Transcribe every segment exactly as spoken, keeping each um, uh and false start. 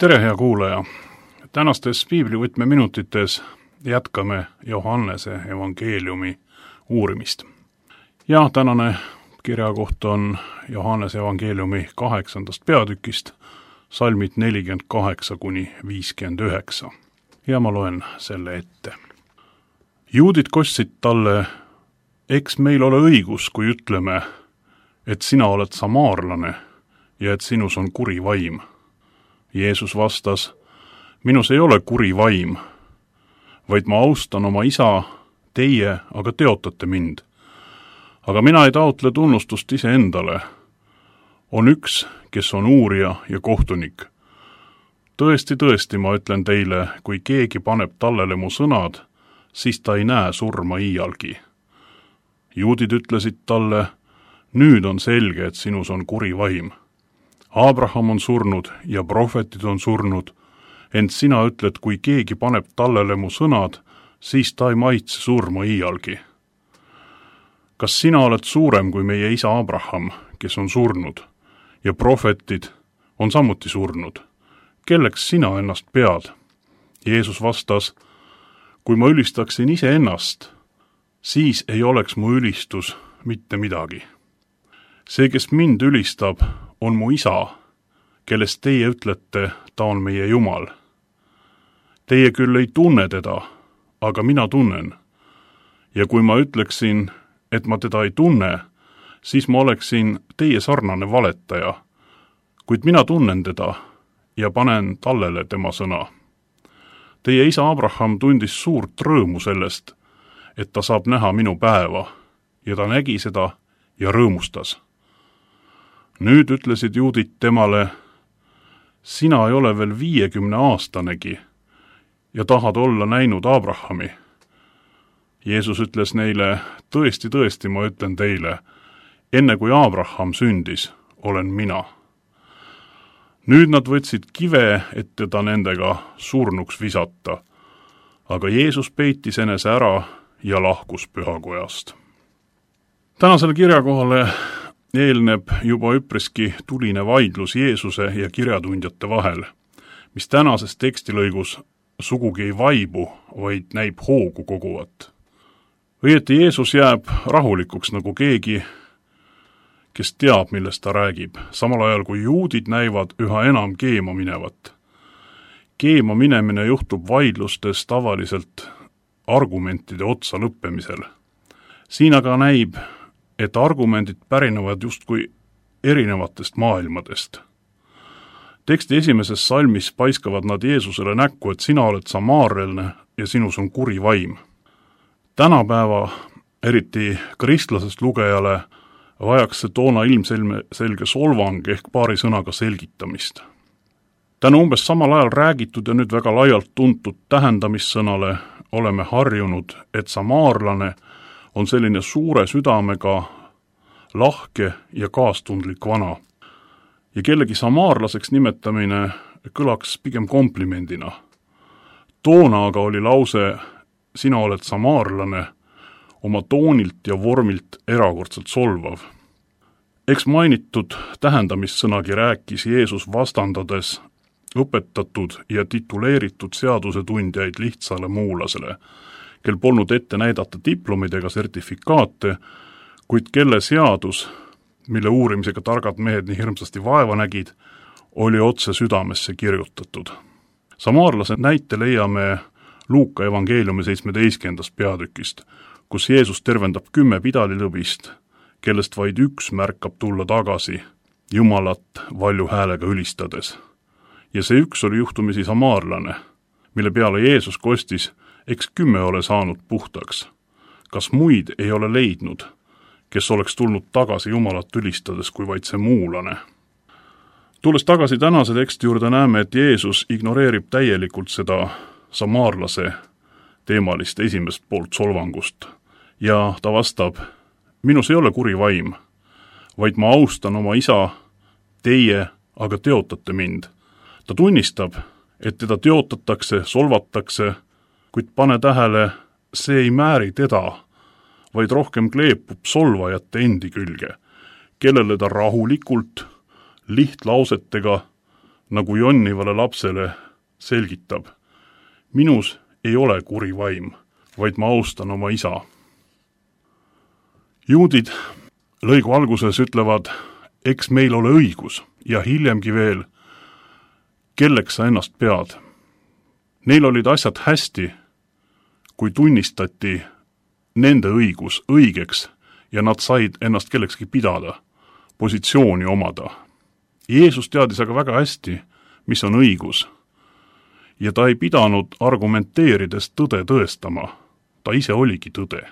Tere, hea kuulaja! Tänastes piiblivõtme minutites jätkame Johannese evangeeliumi uurimist. Ja tänane kirjakoht on Johannese evangeeliumi kaheksandast peatükist, salmid nelikümmend kaheksa kuni viiskümmend üheksa. Ja ma loen selle ette. Juudid kostsid talle, eks meil ole õigus, kui ütleme, et sina oled samaarlane ja et sinus on kuri vaim. Jeesus vastas, minus ei ole kuri vaim, vaid ma austan oma isa, teie aga teotate mind. Aga mina ei taotle tunnustust iseendale. On üks, kes on uurija ja kohtunik. Tõesti, tõesti, ma ütlen teile, kui keegi paneb tallele mu sõnad, siis ta ei näe surma iialgi. Juudid ütlesid talle, nüüd on selge, et sinus on kuri vaim. Abraham on surnud ja prohvetid on surnud, ent sina ütled, kui keegi paneb tallele mu sõnad, siis ta ei maitse surma iialgi. Kas sina oled suurem kui meie isa Abraham, kes on surnud, ja prohvetid on samuti surnud? Kelleks sina ennast pead? Jeesus vastas, kui ma ülistaksin ise ennast, siis ei oleks mu ülistus mitte midagi. See, kes mind ülistab, on mu isa, kellest teie ütlete, ta on meie Jumal. Teie küll ei tunne teda, aga mina tunnen. Ja kui ma ütleksin, et ma teda ei tunne, siis ma oleksin teie sarnane valetaja, kuid mina tunnen teda ja panen tallele tema sõna. Teie isa Abraham tundis suurt rõõmu sellest, et ta saab näha minu päeva, ja ta nägi seda ja rõõmustas. Nüüd ütlesid juudid temale, sina ei ole veel viiekümne aastanegi ja tahad olla näinud Abrahami. Jeesus ütles neile, tõesti, tõesti, ma ütlen teile, enne kui Abraham sündis, olen mina. Nüüd nad võtsid kive, et teda nendega surnuks visata, aga Jeesus peitis enese ära ja lahkus pühakojast. Tänasele kirjakohale eelneb juba üpriski tuline vaidlus Jeesuse ja kirjatundjate vahel, mis tänases tekstilõigus sugugi ei vaibu, vaid näib hoogu koguvat. Õieti Jeesus jääb rahulikuks nagu keegi, kes teab, millest ta räägib, samal ajal kui juudid näivad üha enam keema minevat. Keema minemine juhtub vaidlustes tavaliselt argumentide otsa lõppemisel. Siin aga näib, et argumendid pärinevad justkui erinevatest maailmadest. Teksti esimeses salmis paiskavad nad Jeesusele näkku, et sina oled samaarlane ja sinus on kuri vaim. Tänapäeva, eriti kristlasest lugejale, vajaks see toona ilmselge solvang ehk paari sõnaga selgitamist. Tänu umbes samal ajal räägitud ja nüüd väga laialt tuntud tähendamissõnale oleme harjunud, et samaarlane on selline suure südamega, lahke ja kaastundlik vana. Ja kellegi samaarlaseks nimetamine kõlaks pigem komplimendina. Toona aga oli lause, sina oled samaarlane, oma toonilt ja vormilt erakordselt solvav. Eks mainitud tähendamissõnagi rääkis Jeesus vastandades õpetatud ja tituleeritud seadusetundjaid lihtsale muulasele, kel polnud ette näidata diplomid ega sertifikaate, kuid kelle seadus, mille uurimisega targad mehed nii hirmsasti vaeva nägid, oli otse südamesse kirjutatud. Samaarlase näite leiame Luuka evangeeliumi seitsmeteistkümnendast peatükist, kus Jeesus tervendab kümme pidalilõbist, kellest vaid üks märkab tulla tagasi, Jumalat valju häälega ülistades. Ja see üks oli juhtumisi samaarlane, mille peale Jeesus kostis, eks kümme ole saanud puhtaks. Kas muid ei ole leidnud, kes oleks tulnud tagasi Jumalat ülistades kui vaid see muulane? Tulles tagasi tänase teksti juurde näeme, et Jeesus ignoreerib täielikult seda samaarlase teemalist esimest poolt solvangust ja ta vastab, minus ei ole kuri vaim, vaid ma austan oma isa, teie aga teotate mind. Ta tunnistab, et teda teotatakse, solvatakse, kuid pane tähele, see ei määri teda, vaid rohkem kleepub solvajate endi külge, kellele ta rahulikult, lihtlausetega nagu jonnivale lapsele selgitab. Minus ei ole kuri vaim, vaid ma austan oma isa. Juudid lõigu alguses ütlevad, eks meil ole õigus ja hiljemgi veel, kelleks sa ennast pead. Neil olid asjad hästi, kui tunnistati nende õigus õigeks ja nad said ennast kellekski pidada, positsiooni omada. Jeesus teadis aga väga hästi, mis on õigus. Ja ta ei pidanud argumenteerides tõde tõestama, ta ise oligi tõde.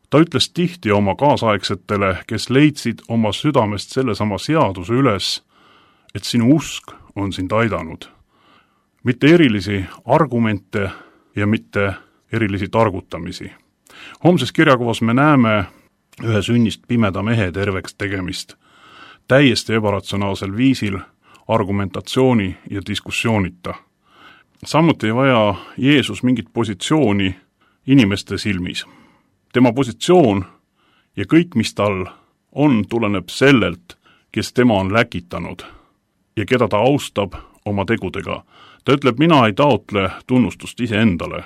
Ta ütles tihti oma kaasaegsetele, kes leidsid oma südamest sellesama seaduse üles, et sinu usk on sind aidanud. Mitte erilisi argumente ja mitte erilisi targutamisi. Homses kirjakuvas me näeme ühe sünnist pimeda mehe terveks tegemist, täiesti ebaratsionaalsel viisil, argumentatsiooni ja diskussioonita. Samuti ei vaja Jeesus mingit positsiooni inimeste silmis. Tema positsioon ja kõik, mis tal on, tuleneb sellelt, kes tema on läkitanud ja keda ta austab oma tegudega. Ta ütleb, mina ei taotle tunnustust iseendale.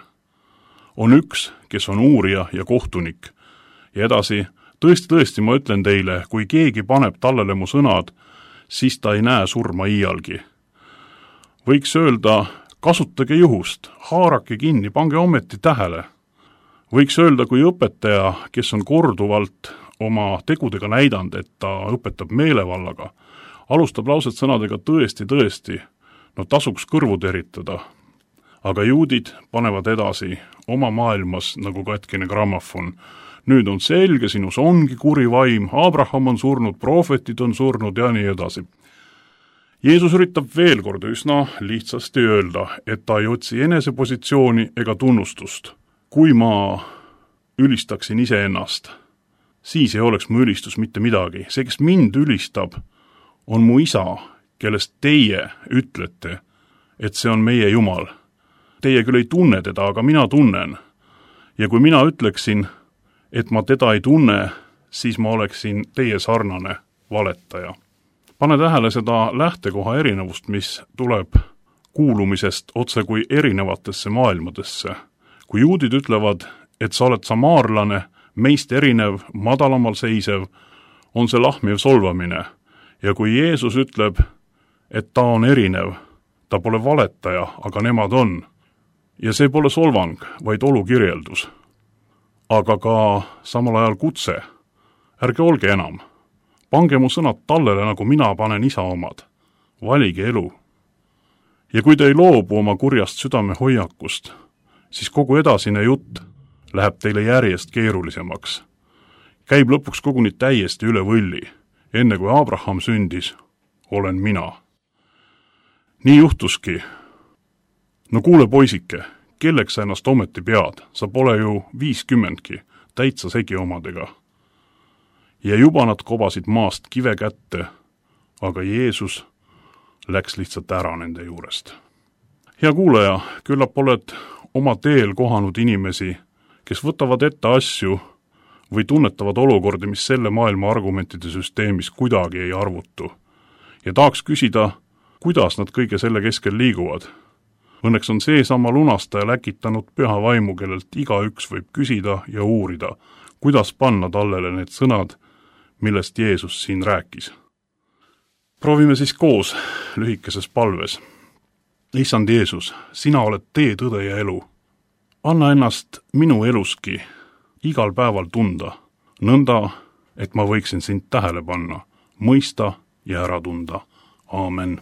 On üks, kes on uurija ja kohtunik. Ja edasi, tõesti, tõesti, ma ütlen teile, kui keegi paneb tallele mu sõnad, siis ta ei näe surma iialgi. Võiks öelda, kasutage juhust, haarake kinni, pange ometi tähele. Võiks öelda, kui õpetaja, kes on korduvalt oma tegudega näidanud, et ta õpetab meelevallaga, alustab lauset sõnadega tõesti, tõesti, no tasuks kõrvu teritada. Aga juudid panevad edasi oma maailmas nagu katkine grammofon. Nüüd on selge, sinus ongi kuri vaim, Abraham on surnud, prohvetid on surnud ja nii edasi. Jeesus üritab veel kord üsna lihtsasti öelda, et ta ei otsi enese positsiooni ega tunnustust. Kui ma ülistaksin iseennast, siis ei oleks mu ülistus mitte midagi. See, kes mind ülistab, on mu isa, kellest teie ütlete, et see on meie Jumal. Teie küll ei tunne teda, aga mina tunnen. Ja kui mina ütleksin, et ma teda ei tunne, siis ma oleksin teie sarnane valetaja. Pane tähele seda lähtekoha erinevust, mis tuleb kuulumisest otse kui erinevatesse maailmadesse. Kui juudid ütlevad, et sa oled samaarlane, meist erinev, madalamal seisev, on see lahmiv solvamine. Ja kui Jeesus ütleb, et ta on erinev, ta pole valetaja, aga nemad on. Ja see pole solvang, vaid olukirjeldus. Aga ka samal ajal kutse. Ärge olge enam. Pange mu sõnad tallele, nagu mina panen isa omad. Valige elu. Ja kui te ei loobu oma kurjast südame hoiakust, siis kogu edasine jutt läheb teile järjest keerulisemaks. Käib lõpuks koguni täiesti üle võlli. Enne kui Abraham sündis, olen mina. Nii juhtuski. No kuule, poisike, kelleks sa ennast ometi pead? Sa pole ju viiskümmendki, täitsa segi omadega. Ja juba nad kobasid maast kive kätte, aga Jeesus läks lihtsalt ära nende juurest. Hea kuulaja, küllap oled oma teel kohanud inimesi, kes võtavad ette asju või tunnetavad olukordi, mis selle maailma argumentide süsteemis kuidagi ei arvutu. Ja tahaks küsida, kuidas nad kõige selle keskel liiguvad. Õnneks on see sama lunastaja läkitanud püha vaimu, kellelt igaüks võib küsida ja uurida, kuidas panna tallele need sõnad, millest Jeesus siin rääkis. Proovime siis koos lühikeses palves. Issand Jeesus, sina oled tee, tõde ja elu. Anna ennast minu eluski igal päeval tunda, nõnda, et ma võiksin sind tähele panna, mõista ja ära tunda. Aamen.